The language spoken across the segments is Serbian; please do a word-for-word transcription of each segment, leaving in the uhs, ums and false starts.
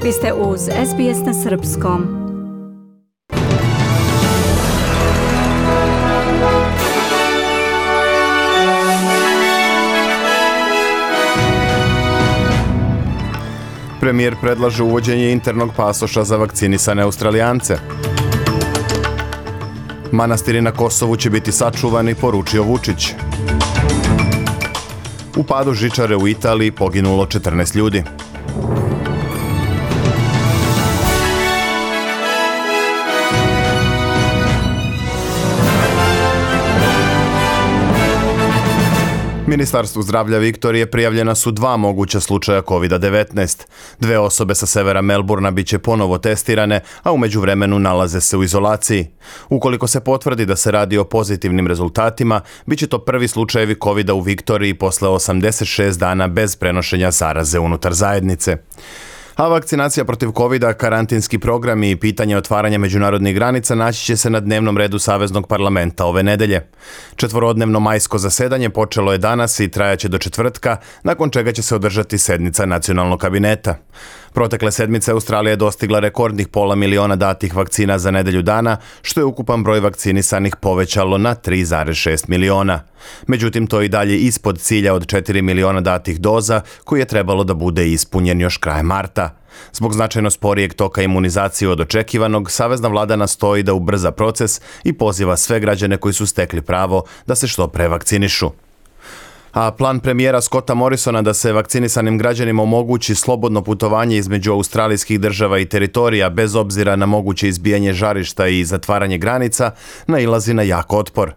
Vi ste uz S B S na srpskom. Premijer predlaže uvođenje internog pasoša za vakcinisane Australijance. Manastiri na Kosovu će biti sačuvani, poručio Vučić. U padu žičare u Italiji poginulo četrnaest ljudi. Ministarstvu zdravlja Viktorije prijavljena su dva moguća slučaja kovid devetnaest. Dve osobe sa severa Melburna bit će ponovo testirane, a u međuvremenu nalaze se u izolaciji. Ukoliko se potvrdi da se radi o pozitivnim rezultatima, bit će to prvi slučajevi kovida u Viktoriji posle osamdeset šest dana bez prenošenja zaraze unutar zajednice. A vakcinacija protiv kovida, karantinski programi i pitanje otvaranja međunarodnih granica naći će se na dnevnom redu Saveznog parlamenta ove nedelje. Četvorodnevno majsko zasedanje počelo je danas i trajaće do četvrtka, nakon čega će se održati sednica nacionalnog kabineta. Protekle sedmice Australija je dostigla rekordnih pola miliona datih vakcina za nedelju dana, što je ukupan broj vakcinisanih povećalo na tri zarez šest miliona. Međutim, to je i dalje ispod cilja od četiri miliona datih doza, koji je trebalo da bude ispunjen još krajem marta. Zbog značajno sporijeg toka imunizacije od očekivanog, savezna vlada nastoji da ubrza proces i poziva sve građane koji su stekli pravo da se što pre vakcinišu. A plan premijera Scotta Morrisona da se vakcinisanim građanima omogući slobodno putovanje između australijskih država i teritorija bez obzira na moguće izbijanje žarišta i zatvaranje granica nailazi na jak otpor.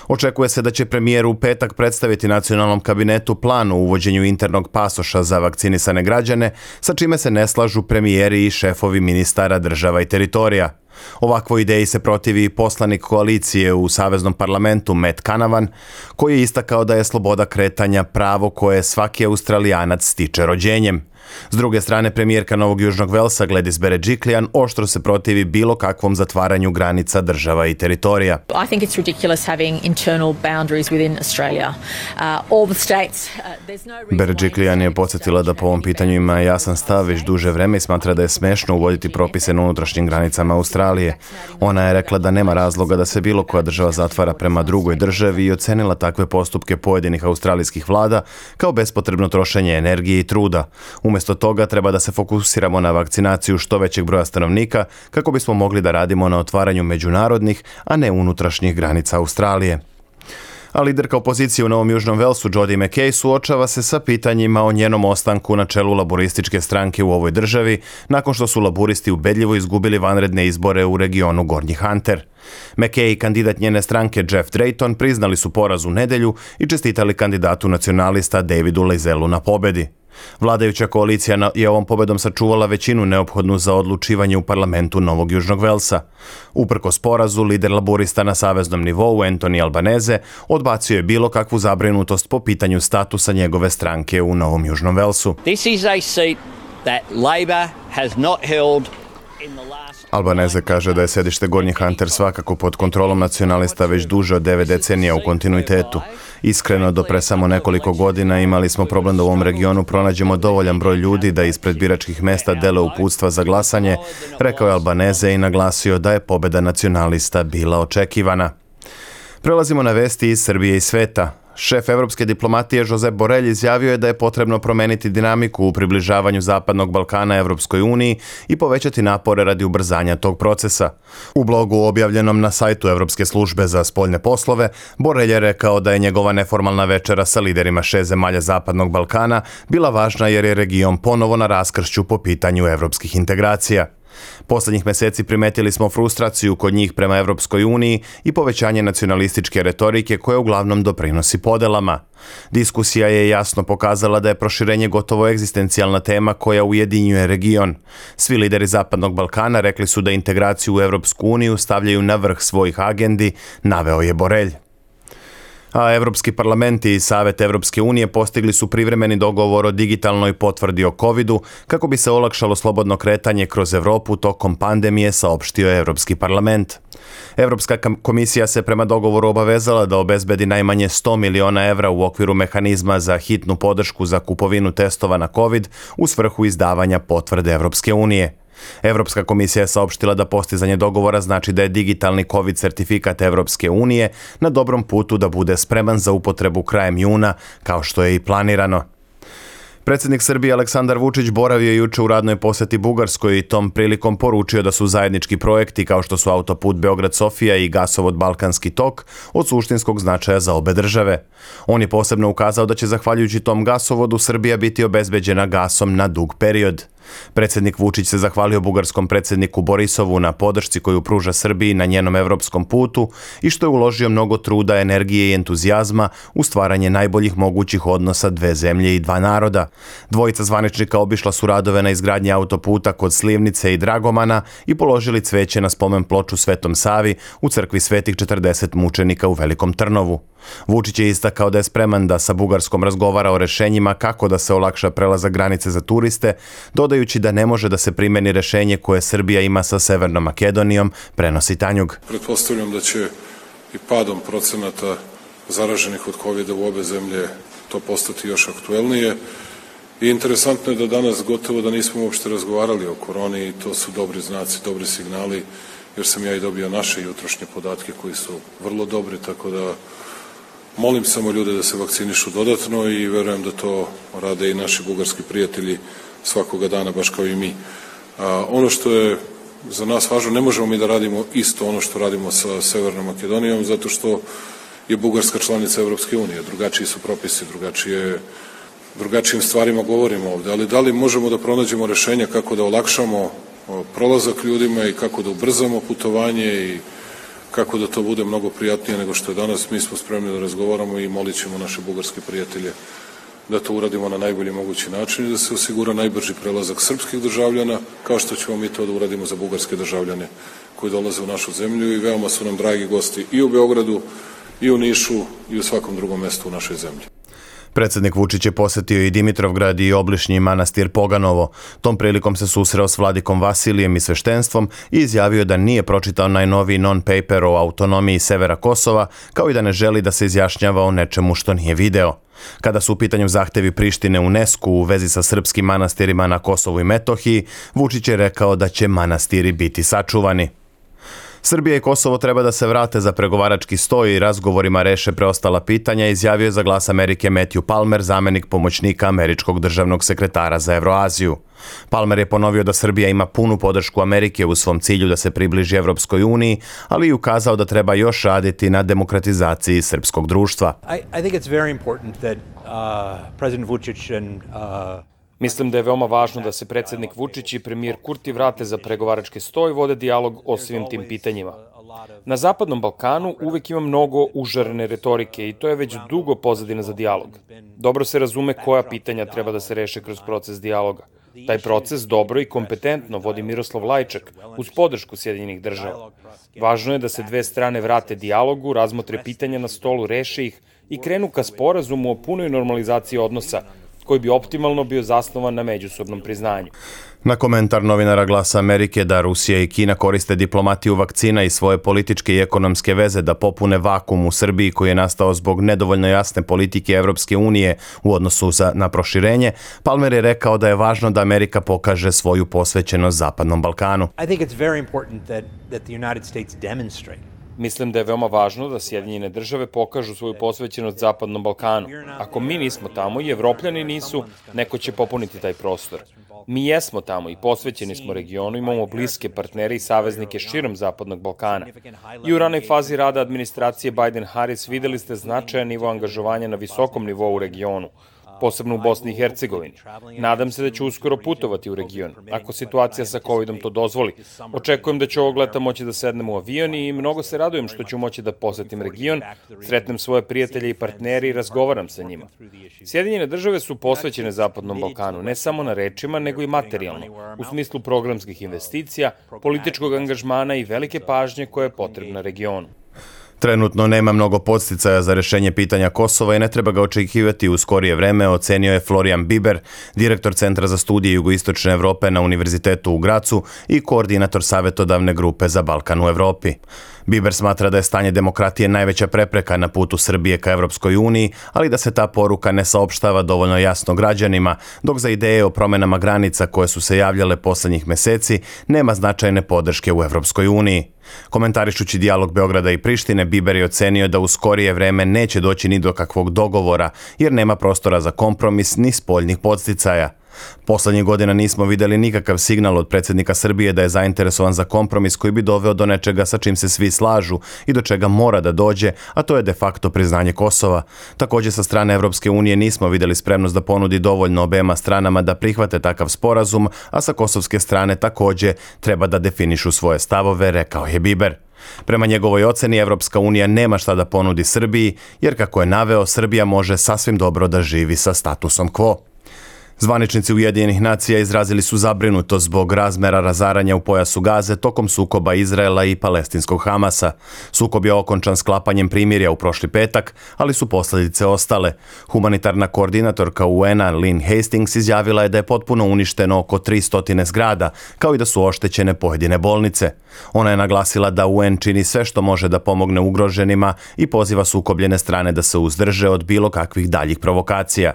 Očekuje se da će premijer u petak predstaviti nacionalnom kabinetu plan o uvođenju internog pasoša za vakcinisane građane, sa čime se ne slažu premijeri i šefovi ministara država i teritorija. Ovakvoj ideji se protivi poslanik koalicije u Saveznom parlamentu Matt Canavan, koji je istakao da je sloboda kretanja pravo koje svaki Australijanac stiče rođenjem. S druge strane, premijerka Novog Južnog Velsa Gladys Berejiklian oštro se protivi bilo kakvom zatvaranju granica država i teritorija. I think it's ridiculous having internal boundaries within Australia. Uh, all the states, uh, there's no reason. Berejiklian je podsjetila da po ovom pitanju ima jasan stav već duže vreme i smatra da je smešno uvoditi propise na unutrašnjim granicama Australije. Ona je rekla da nema razloga da se bilo koja država zatvara prema drugoj državi i ocenila takve postupke pojedinih australijskih vlada kao bespotrebno trošenje energije i truda. Umjesto toga treba da se fokusiramo na vakcinaciju što većeg broja stanovnika kako bismo mogli da radimo na otvaranju međunarodnih, a ne unutrašnjih granica Australije. A liderka opozicije u Novom Južnom Velsu Jodi McKay suočava se sa pitanjima o njenom ostanku na čelu laborističke stranke u ovoj državi, nakon što su laburisti ubedljivo izgubili vanredne izbore u regionu Gornji Hunter. McKay i kandidat njene stranke Jeff Drayton priznali su poraz u nedelju i čestitali kandidatu nacionalista Davidu Leizelu na pobedi. Vladajuća koalicija je ovom pobedom sačuvala većinu neophodnu za odlučivanje u parlamentu Novog Južnog Velsa. Uprkos porazu, lider laborista na saveznom nivou Anthony Albanese odbacio je bilo kakvu zabrinutost po pitanju statusa njegove stranke u Novom Južnom Velsu. This is a seat that Labor has not held. Albanese kaže da je sedište Gornji Hunter svakako pod kontrolom nacionalista već duže od devet decenija u kontinuitetu. Iskreno, do pre samo nekoliko godina imali smo problem da u ovom regionu pronađemo dovoljan broj ljudi da ispred biračkih mesta dele uputstva za glasanje, rekao je Albanese i naglasio da je pobeda nacionalista bila očekivana. Prelazimo na vesti iz Srbije i sveta. Šef evropske diplomatije Josep Borrell izjavio je da je potrebno promeniti dinamiku u približavanju Zapadnog Balkana Evropskoj uniji i povećati napore radi ubrzanja tog procesa. U blogu objavljenom na sajtu Evropske službe za spoljne poslove, Borrell je rekao da je njegova neformalna večera sa liderima šest zemalja Zapadnog Balkana bila važna jer je region ponovo na raskršću po pitanju evropskih integracija. Poslednjih meseci primetili smo frustraciju kod njih prema Evropskoj uniji i povećanje nacionalističke retorike koja uglavnom doprinosi podelama. Diskusija je jasno pokazala da je proširenje gotovo egzistencijalna tema koja ujedinjuje region. Svi lideri Zapadnog Balkana rekli su da integraciju u Evropsku uniju stavljaju na vrh svojih agendi, naveo je Borrell. A Evropski parlament i Savet Evropske unije postigli su privremeni dogovor o digitalnoj potvrdi o kovidu kako bi se olakšalo slobodno kretanje kroz Evropu tokom pandemije, saopštio je Evropski parlament. Evropska komisija se prema dogovoru obavezala da obezbedi najmanje sto miliona evra u okviru mehanizma za hitnu podršku za kupovinu testova na covid u svrhu izdavanja potvrde Evropske unije. Evropska komisija je saopštila da postizanje dogovora znači da je digitalni COVID sertifikat Evropske unije na dobrom putu da bude spreman za upotrebu krajem juna, kao što je i planirano. Predsjednik Srbije Aleksandar Vučić boravio je juče u radnoj posjeti Bugarskoj i tom prilikom poručio da su zajednički projekti kao što su autoput Beograd-Sofija i gasovod Balkanski tok od suštinskog značaja za obe države. On je posebno ukazao da će zahvaljujući tom gasovodu Srbija biti obezbeđena gasom na dug period. Predsjednik Vučić se zahvalio bugarskom predsjedniku Borisovu na podršci koju pruža Srbiji na njenom evropskom putu i što je uložio mnogo truda, energije i entuzijazma u stvaranje najboljih mogućih odnosa dve zemlje i dva naroda. Dvojica zvaničnika obišla su radove na izgradnji autoputa kod Slivnice i Dragomana i položili cveće na spomen ploču Svetom Savi u crkvi Svetih četrdeset mučenika u Velikom Trnovu. Vučić je istakao da je spreman da sa Bugarskom razgovara o rešenjima kako da se olakša prelazak granice za turiste, dodajući da ne može da se primeni rešenje koje Srbija ima sa Severnom Makedonijom, prenosi Tanjug. Pretpostavljam da će i padom procenata zaraženih od kovida u obe zemlje to postati još aktuelnije. I interesantno je da danas gotovo da nismo uopšte razgovarali o koroni i to su dobri znaci, dobri signali, jer sam ja i dobio naše jutrošnje podatke koji su vrlo dobri, tako da molim samo ljude da se vakcinišu dodatno i verujem da to rade i naši bugarski prijatelji svakoga dana, baš kao i mi. A, ono što je za nas važno, ne možemo mi da radimo isto ono što radimo sa Severnom Makedonijom, zato što je Bugarska članica Evropske unije, drugačiji su propisi, drugačije, drugačijim stvarima govorimo ovde, ali da li možemo da pronađemo rešenja kako da olakšamo prolazak ljudima i kako da ubrzamo putovanje i kako da to bude mnogo prijatnije nego što je danas, mi smo spremni da razgovaramo i molit ćemo naše bugarske prijatelje da to uradimo na najbolji mogući način i da se osigura najbrži prelazak srpskih državljana, kao što ćemo mi to da uradimo za bugarske državljane koji dolaze u našu zemlju i veoma su nam dragi gosti i u Beogradu, i u Nišu, i u svakom drugom mestu u našoj zemlji. Predsjednik Vučić je posjetio i Dimitrovgrad i obližnji manastir Poganovo. Tom prilikom se susreo s vladikom Vasilijem i sveštenstvom i izjavio da nije pročitao najnoviji non-paper o autonomiji severa Kosova, kao i da ne želi da se izjašnjava o nečemu što nije video. Kada su u pitanju zahtevi Prištine UNESCO u vezi sa srpskim manastirima na Kosovu i Metohiji, Vučić je rekao da će manastiri biti sačuvani. Srbija i Kosovo treba da se vrate za pregovarački sto i razgovorima reše preostala pitanja, izjavio je za Glas Amerike Matthew Palmer, zamenik pomoćnika američkog državnog sekretara za Evroaziju. Palmer je ponovio da Srbija ima punu podršku Amerike u svom cilju da se približi Evropskoj uniji, ali i ukazao da treba još raditi na demokratizaciji srpskog društva. I, I think it's very important that uh, President Vučić and uh... Mislim da je veoma važno da se predsjednik Vučić i premijer Kurti vrate za pregovarački sto i vode dijalog o svim tim pitanjima. Na Zapadnom Balkanu uvek ima mnogo užarene retorike i to je već dugo pozadina za dijalog. Dobro se razume koja pitanja treba da se reše kroz proces dijaloga. Taj proces dobro i kompetentno vodi Miroslav Lajčak uz podršku Sjedinjenih država. Važno je da se dve strane vrate dijalogu, razmotre pitanja na stolu, reše ih i krenu ka sporazumu o punoj normalizaciji odnosa, koji bi optimalno bio zasnovan na međusobnom priznanju. Na komentar novinara Glasa Amerike da Rusija i Kina koriste diplomatiju vakcina i svoje političke i ekonomske veze da popune vakum u Srbiji koji je nastao zbog nedovoljno jasne politike Evropske unije u odnosu za, na proširenje, Palmer je rekao da je važno da Amerika pokaže svoju posvećenost Zapadnom Balkanu. I think it's very important that, that the United States demonstrate. Mislim da je veoma važno da Sjedinjene države pokažu svoju posvećenost Zapadnom Balkanu. Ako mi nismo tamo i Evropljani nisu, neko će popuniti taj prostor. Mi jesmo tamo i posvećeni smo regionu, imamo bliske partnere i saveznike širom Zapadnog Balkana. I u ranoj fazi rada administracije Biden-Harris videli ste značajan nivo angažovanja na visokom nivou u regionu, posebno u Bosni i Hercegovini. Nadam se da ću uskoro putovati u region, ako situacija sa covidom to dozvoli. Očekujem da ću ovog leta moći da sednem u avion i mnogo se radujem što ću moći da posetim region, sretnem svoje prijatelje i partnere i razgovaram sa njima. Sjedinjene države su posvećene Zapadnom Balkanu, ne samo na rečima, nego i materijalno, u smislu programskih investicija, političkog angažmana i velike pažnje koja je potrebna regionu. Trenutno nema mnogo podsticaja za rešenje pitanja Kosova i ne treba ga očekivati u skorije vreme, ocenio je Florian Biber, direktor Centra za studije jugoistočne Evrope na Univerzitetu u Gracu i koordinator savjetodavne grupe za Balkan u Evropi. Biber smatra da je stanje demokratije najveća prepreka na putu Srbije ka Evropskoj uniji, ali da se ta poruka ne saopštava dovoljno jasno građanima, dok za ideje o promenama granica koje su se javljale poslednjih meseci nema značajne podrške u Evropskoj uniji. Komentarišući dijalog Beograda i Prištine, Biber je ocenio da u skorije vreme neće doći ni do kakvog dogovora, jer nema prostora za kompromis ni spoljnih podsticaja. Poslednjih godina nismo videli nikakav signal od predsjednika Srbije da je zainteresovan za kompromis koji bi doveo do nečega sa čim se svi slažu i do čega mora da dođe, a to je de facto priznanje Kosova. Također sa strane Evropske unije nismo videli spremnost da ponudi dovoljno obema stranama da prihvate takav sporazum, a sa kosovske strane također treba da definišu svoje stavove, rekao je Biber. Prema njegovoj oceni, Evropska unija nema šta da ponudi Srbiji, jer kako je naveo, Srbija može sasvim dobro da živi sa statusom quo. Zvaničnici Ujedinjenih nacija izrazili su zabrinutost zbog razmera razaranja u pojasu Gaze tokom sukoba Izraela i palestinskog Hamasa. Sukob je okončan sklapanjem primirja u prošli petak, ali su posljedice ostale. Humanitarna koordinatorka U N-a Lynn Hastings izjavila je da je potpuno uništeno oko tristo zgrada, kao i da su oštećene pojedine bolnice. Ona je naglasila da U N čini sve što može da pomogne ugroženima i poziva sukobljene strane da se uzdrže od bilo kakvih daljih provokacija.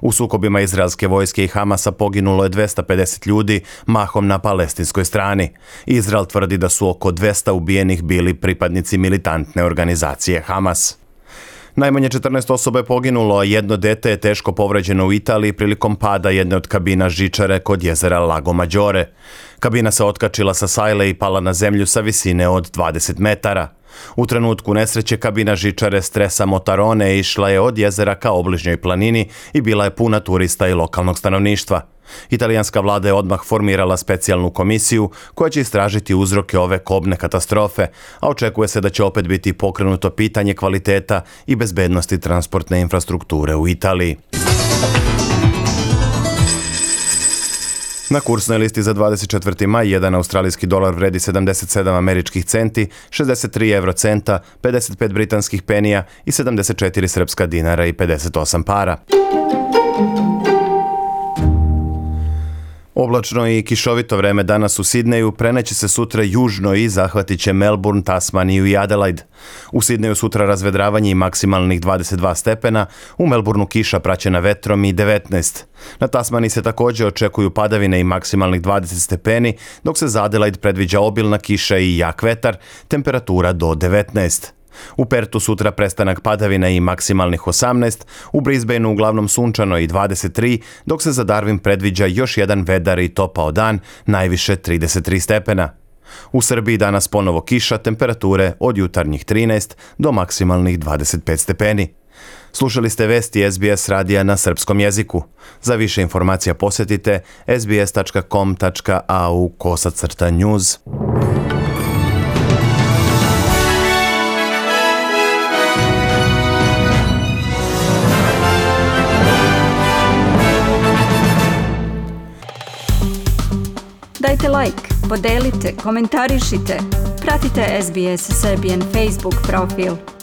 U sukobima izraelske vojske i Hamasa poginulo je dvesta pedeset ljudi, mahom na palestinskoj strani. Izrael tvrdi da su oko dvesta ubijenih bili pripadnici militantne organizacije Hamas. Najmanje četrnaest osoba je poginulo, a jedno dete je teško povređeno u Italiji prilikom pada jedne od kabina žičare kod jezera Lago Maggiore. Kabina se otkačila sa sajle i pala na zemlju sa visine od dvadeset metara. U trenutku nesreće kabina žičare Stresa Motarone išla je od jezera ka obližnjoj planini i bila je puna turista i lokalnog stanovništva. Italijanska vlada je odmah formirala specijalnu komisiju koja će istražiti uzroke ove kobne katastrofe, a očekuje se da će opet biti pokrenuto pitanje kvaliteta i bezbednosti transportne infrastrukture u Italiji. Na kursnoj listi za dvadeset četvrti maj jedan australijski dolar vredi sedamdeset sedam američkih centi, šezdeset tri evrocenta, pedeset pet britanskih penija i sedamdeset četiri srpska dinara i pedeset osam para. Oblačno i kišovito vreme danas u Sidneju preneće se sutra južno i zahvatit će Melbourne, Tasmaniju i Adelaide. U Sidneju sutra razvedravanje i maksimalnih dvadeset dva stepena, u Melbourneu kiša praćena vetrom i devetnaest. Na Tasmaniji se također očekuju padavine i maksimalnih dvadeset stepeni, dok se za Adelaide predviđa obilna kiša i jak vetar, temperatura do devetnaest. U Pertu sutra prestanak padavina i maksimalnih osamnaest, u Brisbaneu uglavnom sunčano i dvadeset tri, dok se za Darwin predviđa još jedan vedar i topao dan, najviše trideset tri stepena. U Srbiji danas ponovo kiša, temperature od jutarnjih trinaest do maksimalnih dvadeset pet stepeni. Slušali ste vesti S B S radija na srpskom jeziku. Za više informacija posjetite s b s tačka com tačka a u kosacrta news. Dajte like, podelite, komentarišite. Pratite S B S Serbian Facebook profil.